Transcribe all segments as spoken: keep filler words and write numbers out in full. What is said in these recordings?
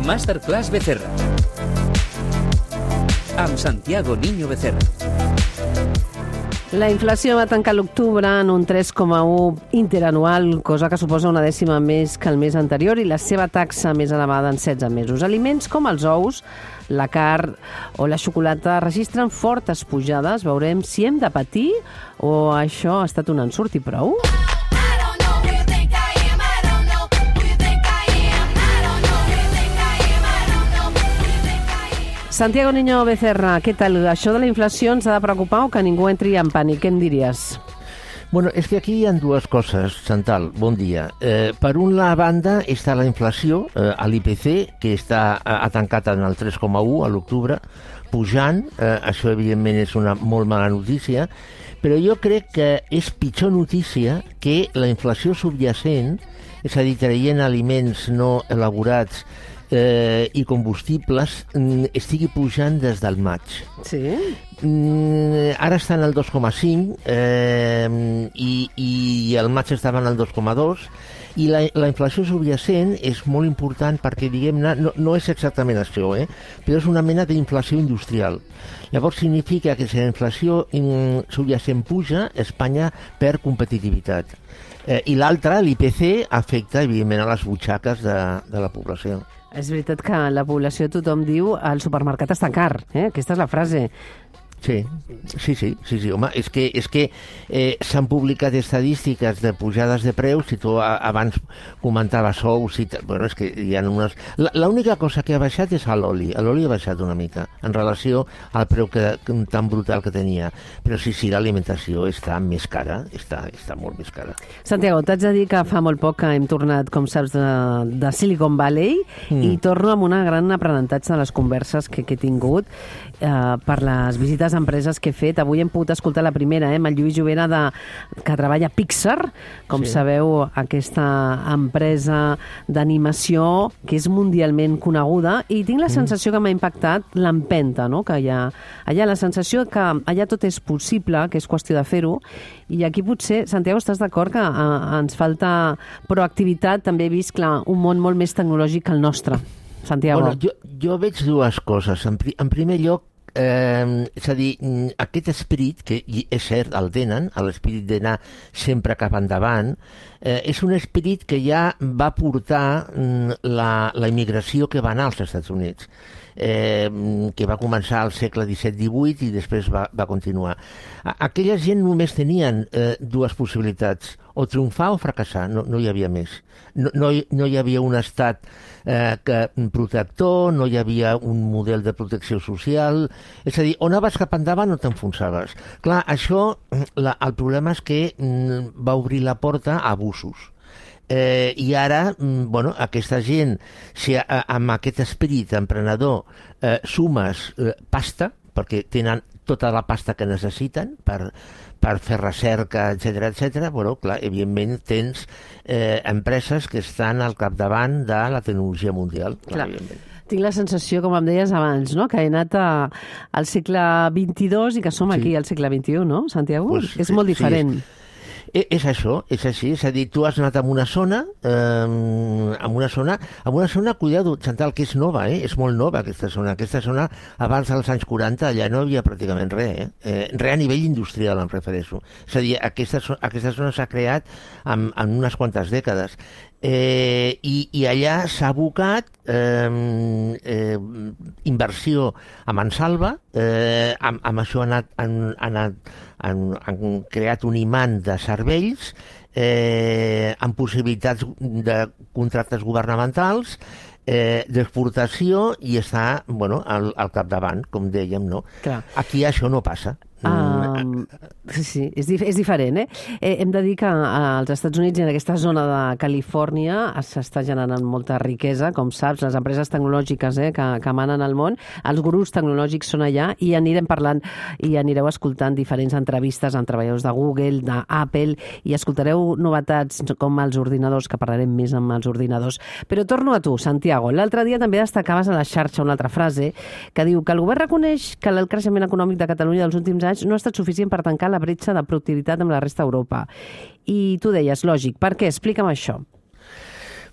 Masterclass Becerra. Amb Santiago Niño Becerra. La inflació va tancar l'octubre en un tres coma u interanual, cosa que suposa una dècima més que el mes anterior i la seva taxa més elevada en setze mesos. Aliments com els ous, la carn o la xocolata registren fortes pujades. Veurem si hem de patir o això ha estat un ensurt i prou. Santiago Niño Becerra, què tal? Això de la inflació ens ha de preocupar o que ningú entri en pànic? Què en diries? Bueno, és que aquí hi ha dues coses, Chantal, bon dia. Eh, per una banda està la inflació, eh, a l'I P C, que està, ha tancat en el tres coma u a l'octubre, pujant, eh, això evidentment és una molt mala notícia, però jo crec que és pitjor notícia que la inflació subjacent, és a dir, traient aliments no elaborats Eh, i combustibles mm, estigui pujant des del maig. Sí? Mm, ara estan al dos coma cinc eh, i, i el maig estaven al dos coma dos i la, la inflació subjacent és molt important perquè, diguem-ne, no, no és exactament això, eh? Però és una mena d'inflació industrial. Llavors significa que si la inflació in, subjacent puja, Espanya perd competitivitat. Eh, I l'altra, l'I P C, afecta, evidentment, a les butxaques de, de la població. És veritat que la població, tothom diu, el supermercat està car, eh? Aquesta és la frase. Sí, sí, sí, sí, sí, home, és que, és que eh, s'han publicat estadístiques de pujades de preus, si tu a, abans comentaves ous i tal, bueno, és que hi ha unes... L'única cosa que ha baixat és l'oli, l'oli ha baixat una mica en relació al preu que, tan brutal que tenia, però sí, sí, l'alimentació està més cara, està, està molt més cara. Santiago, t'haig de dir que fa molt poc que hem tornat, com saps, de, de Silicon Valley mm. i torno amb un gran aprenentatge de les converses que, que he tingut eh, per les visites a empreses que he fet. Avui hem pogut escoltar la primera, eh, amb el Lluís Jovera, de, que treballa a Pixar, com sí. sabeu, aquesta empresa d'animació que és mundialment coneguda, i tinc la sensació que m'ha impactat l'empenta, no? Que hi ha allà, la sensació que allà tot és possible, que és qüestió de fer-ho, i aquí potser, Santiago, estàs d'acord que eh, ens falta proactivitat? També he vist, clar, un món molt més tecnològic que el nostre. Santiago. Bueno, jo, jo veig dues coses. En, pri, en primer lloc, Eh, és a dir, aquest esperit, que és cert, el tenen, l'esperit d'anar sempre cap endavant, eh, és un esperit que ja va portar la, la immigració que va anar als Estats Units, eh, que va començar al segle disset divuit i després va, va continuar. Aquella gent només tenien eh, dues possibilitats, o triomfar o fracassar, no, no hi havia més. No, no, no hi havia un estat eh, que, protector, no hi havia un model de protecció social, és a dir, on anaves cap endavant no t'enfonsaves. Clar, això, la, el problema és que mm, va obrir la porta a abusos. Eh, I ara, mm, bueno, aquesta gent, si a, a, amb aquest esperit emprenedor eh, sumes eh, pasta, perquè tenen tota la pasta que necessiten per, per fer recerca, etcètera, etcètera, bueno, clar, evidentment tens eh, empreses que estan al capdavant de la tecnologia mundial. Clar, clar. Tinc la sensació, com em deies abans, no? Que he anat a, al segle vint-i-dos i que som sí. aquí al segle vint-i-u, no, Santiago? Pues, és molt diferent. Sí, és... És això, és així, és a dir, tu has anat a una zona, eh, a una zona, a una zona, cuidado, Chantal, que és nova, eh? És molt nova aquesta zona. Aquesta zona, abans dels anys quaranta, allà no hi havia pràcticament res, eh? eh res a nivell industrial, em refereixo. És a dir, aquesta, aquesta zona s'ha creat en, en unes quantes dècades. Eh, i, i allà s'ha abocat eh, eh, inversió a mansalva, eh, amb, amb això han, anat, han, anat, han, han creat un imant de cervells eh, amb possibilitats de contractes governamentals, eh, d'exportació, i està, bueno, al, al capdavant, com dèiem, no? Clar. Aquí això no passa. Um, sí, sí, és, dif és diferent, eh? eh? Hem de dir que als Estats Units i en aquesta zona de Califòrnia s'està generant molta riquesa, com saps, les empreses tecnològiques eh, que, que manen al món, els gurus tecnològics són allà, i anirem parlant i anireu escoltant diferents entrevistes amb treballadors de Google, d'Apple, i escoltareu novetats com els ordinadors, que parlarem més amb els ordinadors. Però torno a tu, Santiago. L'altre dia també destacaves a la xarxa una altra frase que diu que el govern reconeix que el creixement econòmic de Catalunya dels últims anys no ha estat suficient per tancar la bretxa de productivitat amb la resta d'Europa. I tu deies, lògic, per què? Explica'm això.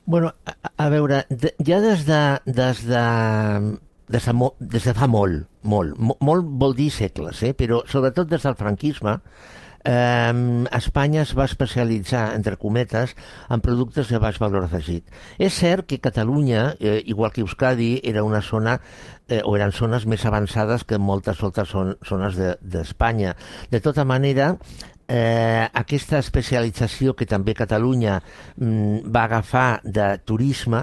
Bueno, a, a veure, de, ja des de, des de, des de, mo, des de fa molt, molt, mo, molt vol dir segles, eh? Però sobretot des del franquisme, eh, Espanya es va especialitzar, entre cometes, en productes de baix valor afegit. És cert que Catalunya, eh, igual que Euskadi, era una zona eh, o eren zones més avançades que moltes altres zones d'Espanya. De, de tota manera, Eh, aquesta especialització que també Catalunya mm, va agafar de turisme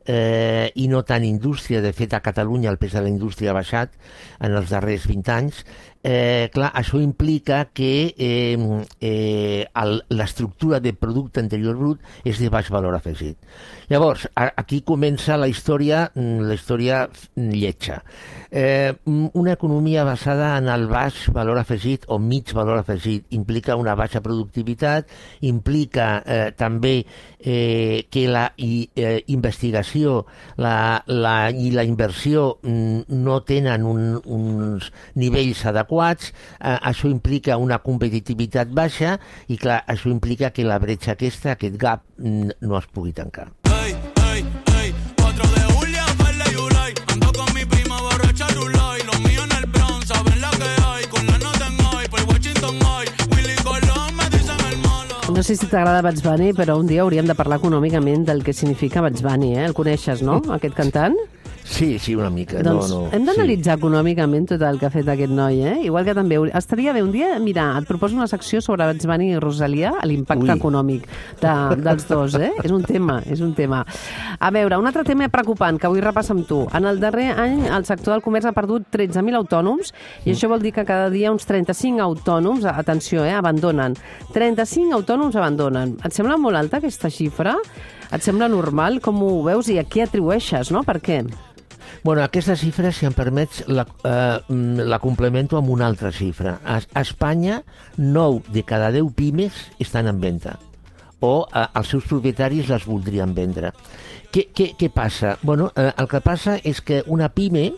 eh, i no tant indústria, de fet a Catalunya el pes de la indústria ha baixat en els darrers vint anys, eh, clar, això implica que eh, eh, l'estructura de producte interior brut és de baix valor afegit. Llavors, a, aquí comença la història, la història lletja. Eh, una economia basada en el baix valor afegit o mig valor afegit implica una baixa productivitat, implica eh, també eh, que la i, eh, investigació la, la, i la inversió mm, no tenen un, uns nivells adequats, eh, això implica una competitivitat baixa i clar, això implica que la bretxa aquesta, aquest gap, mm, no es pugui tancar. No sé si t'agrada Bugs Bunny, però un dia hauríem de parlar econòmicament del que significa Bugs Bunny, eh? El coneixes, no?, aquest cantant? Sí, sí, una mica. Doncs no, no, hem d'analitzar sí. econòmicament tot el que ha fet aquest noi, eh? Igual que també estaria bé un dia, mira, et proposo una secció sobre Bugs Bunny i Rosalia, l'impacte econòmic de, dels dos, eh? És un tema, és un tema. A veure, un altre tema preocupant que vull repassar amb tu. En el darrer any el sector del comerç ha perdut tretze mil autònoms i això vol dir que cada dia uns trenta-cinc autònoms, atenció, eh, abandonen. trenta-cinc autònoms abandonen. Et sembla molt alta aquesta xifra? Et sembla normal? Com ho veus i a què atribueixes, no? Per què? Bueno, aquesta xifra, si em permets, la, eh, la complemento amb una altra xifra. A, a Espanya, nou de cada deu pimes estan en venda o eh, els seus propietaris les voldrien vendre. Què, què, què passa? Bueno, eh, el que passa és que una pime,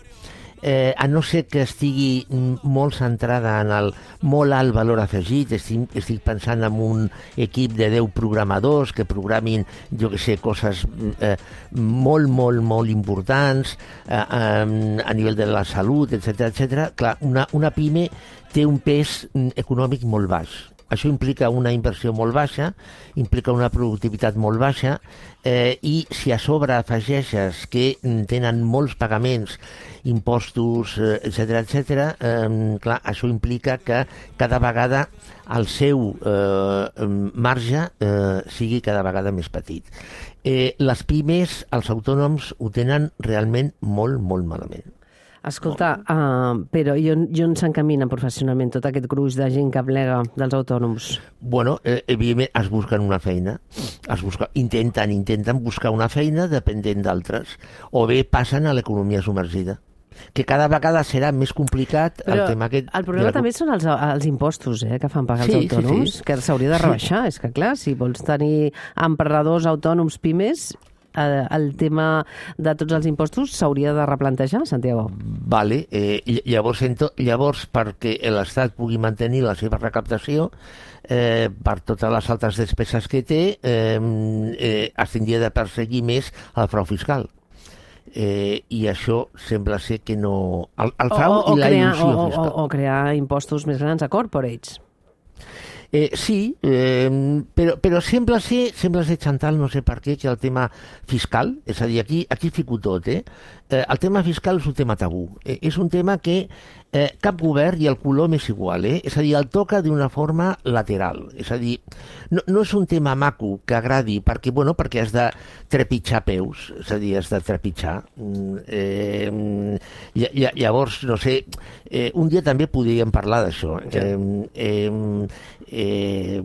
eh, a no ser que estigui molt centrada en el molt alt valor afegit, estic, estic pensant en un equip de deu programadors que programin, jo que sé, coses eh, molt, molt, molt importants eh, eh, a nivell de la salut, etcètera, etcètera. Clar, una, una pime té un pes econòmic molt baix. Això implica una inversió molt baixa, implica una productivitat molt baixa eh, i si a sobre afegeixes que tenen molts pagaments, impostos, eh, etcètera, etcètera, eh, clar, això implica que cada vegada el seu eh, marge eh, sigui cada vegada més petit. Eh, les pimes, els autònoms, ho tenen realment molt, molt malament. Escolta, uh, però i on, i on s'encamina professionalment tot aquest gruix de gent que plega dels autònoms? Bueno, eh, evidentment es busquen una feina, es busca, intenten, intenten buscar una feina dependent d'altres, o bé passen a l'economia submergida, que cada vegada serà més complicat. Però el tema aquest... El problema la... també són els, els impostos eh, que fan pagar els sí, autònoms, sí, sí. que s'hauria de rebaixar. Sí. És que, clar, si vols tenir emprenedors, autònoms, pimes, el tema de tots els impostos s'hauria de replantejar, Santiago. Vale, eh, llavors, llavors perquè l'Estat pugui mantenir la seva recaptació eh, per totes les altres despeses que té eh, eh, es tindria de perseguir més el frau fiscal. Eh, i això sembla ser que no... El, el frau o, o, i la crear, il·lusió o, fiscal. O, o crear impostos més grans a corporates. Eh, sí, eh, però, però sembla ser, sembla ser, Chantal, no sé per què, que el tema fiscal, és a dir, aquí, aquí fico tot, eh? Eh, el tema fiscal és un tema tabú. Eh, és un tema que eh, cap govern i el color m'és igual, eh? És a dir, el toca d'una forma lateral. És a dir, no, no és un tema maco que agradi, perquè, bueno, perquè has de trepitjar peus, és a dir, has de trepitjar. Eh, llavors, no sé, eh, un dia també podríem parlar d'això. Eh, eh, Eh,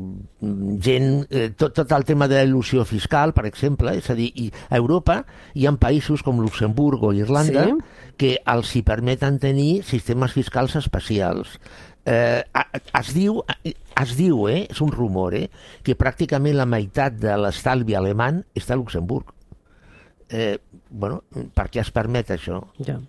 gent, eh, tot, tot el tema de l'il·lusió fiscal, per exemple, és a dir, i a Europa hi ha països com Luxemburg o Irlanda sí. que els hi permeten tenir sistemes fiscals especials. Eh, es diu, es diu eh, és un rumor, eh, que pràcticament la meitat de l'estalvi alemany està a Luxemburg. Eh, bueno, per què es permet això? Ja.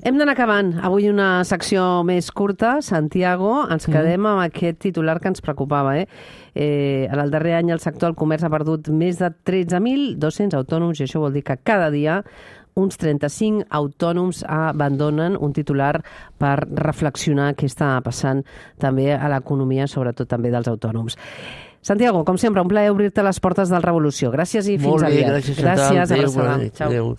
Hem d'anar acabant. Avui una secció més curta. Santiago, ens quedem mm. amb aquest titular que ens preocupava. Eh? Eh, en el darrer any el sector del comerç ha perdut més de tretze mil dos-cents autònoms i això vol dir que cada dia uns trenta-cinc autònoms abandonen, un titular per reflexionar què està passant també a l'economia, sobretot també dels autònoms. Santiago, com sempre, un plaer obrir-te les portes del Revolució. Gràcies i fins Molt bé, aviat. gràcies, gràcies abraçada. Ciao. Adéu.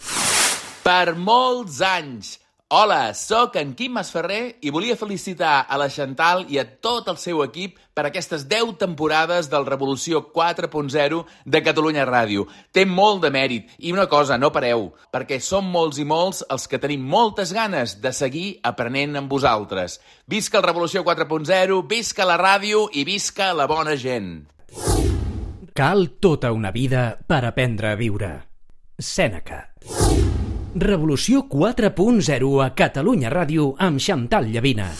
Per molts anys. Hola, sóc en Quim Masferrer i volia felicitar a la Chantal i a tot el seu equip per aquestes deu temporades del Revolució quatre punt zero de Catalunya Ràdio. Té molt de mèrit i una cosa, no pareu, perquè som molts i molts els que tenim moltes ganes de seguir aprenent amb vosaltres. Visca el Revolució quatre punt zero, visca la ràdio i visca la bona gent. Cal tota una vida per aprendre a viure. Sèneca. Revolució quatre punt zero a Catalunya Ràdio amb Chantal Llavina.